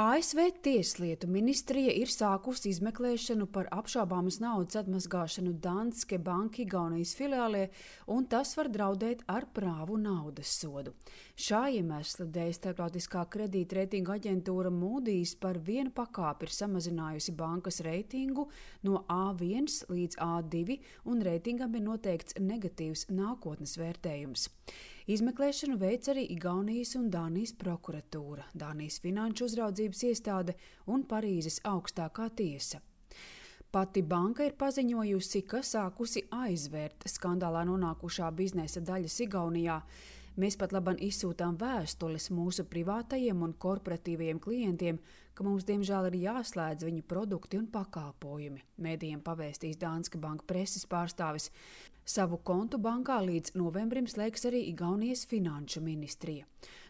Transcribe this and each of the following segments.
ASV Tieslietu ministrija ir sākusi izmeklēšanu par apšaubāmas naudas atmazgāšanu Danske Bank Igaunijas filiālē, un tas var draudēt ar prāvu naudas sodu. Šā iemesla dēļ starptautiskā kredītreitinga aģentūra Moody's par vienu pakāpi ir samazinājusi bankas reitingu no A1 līdz A2, un reitingam ir noteikts negatīvs nākotnes vērtējums. Izmeklēšanu veic arī Igaunijas un Dānijas prokuratūra, Dānijas finanšu uzraudzības iestāde un Parīzes augstākā tiesa. Pati banka ir paziņojusi, ka sākusi aizvērt skandālā nonākušā biznesa daļas Igaunijā. Mēs pat labam izsūtām vēstules mūsu privātajiem un korporatīvajiem klientiem, ka mums diemžēl ir jāslēdz viņu produkti un pakalpojumi, mēdījiem pavēstīs Danske Bank preses pārstāvis. Savu kontu bankā līdz novembrim slēgs arī Igaunijas finanšu ministrija.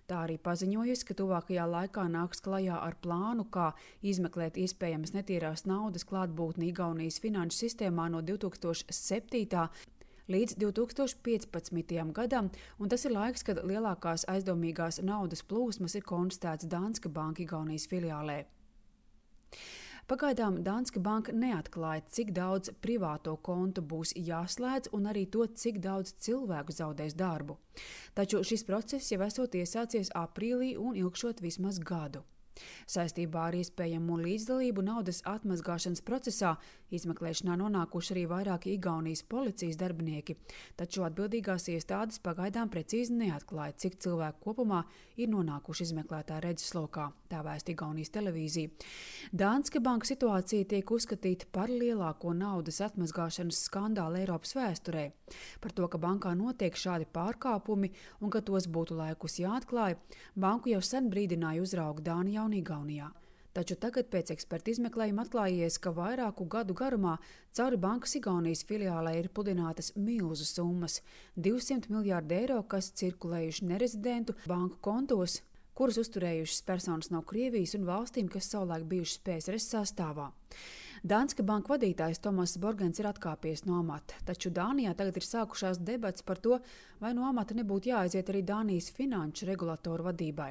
Tā arī paziņojusi, ka tuvākajā laikā nāks klajā ar plānu, kā izmeklēt iespējamas netīrās naudas klātbūtni Igaunijas finanšu sistēmā no 2007. līdz 2015. gadam, un tas ir laiks, kad lielākās aizdomīgās naudas plūsmas ir konstatēts Danske Bank Igaunijas filiālē. Pagaidām Danske Bank neatklāja, cik daudz privāto kontu būs jāslēdz un arī to, cik daudz cilvēku zaudēs darbu. Taču šis process jau esot iesācies aprīlī un ilgšot vismaz gadu. Saistībā ar iespējamu līdzdalību naudas atmazgāšanas procesā izmeklēšanā nonākuši arī vairāki Igaunijas policijas darbinieki, taču atbildīgās iestādes pagaidām precīzi neatklāja, cik cilvēku kopumā ir nonākuši izmeklētā redzeslokā, tā vēsta Igaunijas televīzija. Danske Bank situācija tiek uzskatīta par lielāko naudas atmazgāšanas skandālu Eiropas vēsturē. Par to, ka bankā notiek šādi pārkāpumi un ka tos būtu laikus jāatklāj, banku jau sen brīdināja uzrauga Dānijā un Igaunijā. Taču tagad pēc eksperta izmeklējuma atklājies, ka vairāku gadu garumā cauri bankas Igaunijas filiālē ir pludinātas milzu summas – 200 miljārdi eiro, kas cirkulējuši nerezidentu banku kontos, kurus uzturējušas personas no Krievijas un valstīm, kas savulaik bijušas PSRS sastāvā. Danske Bank vadītājs Tomas Borgens ir atkāpies no amata, taču Dānijā tagad ir sākušās debats par to, vai no amata nebūtu jāaiziet arī Dānijas finanšu regulatoru vadībai.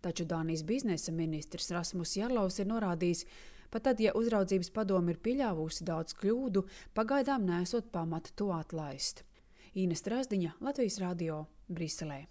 Taču Dānijas biznesa ministrs Rasmus Jarlovs ir norādījis, pat tad, ja uzraudzības padome ir pieļāvusi daudz kļūdu, pagaidām neesot pamata to atlaist. Īna Strazdiņa, Latvijas radio, Briselē.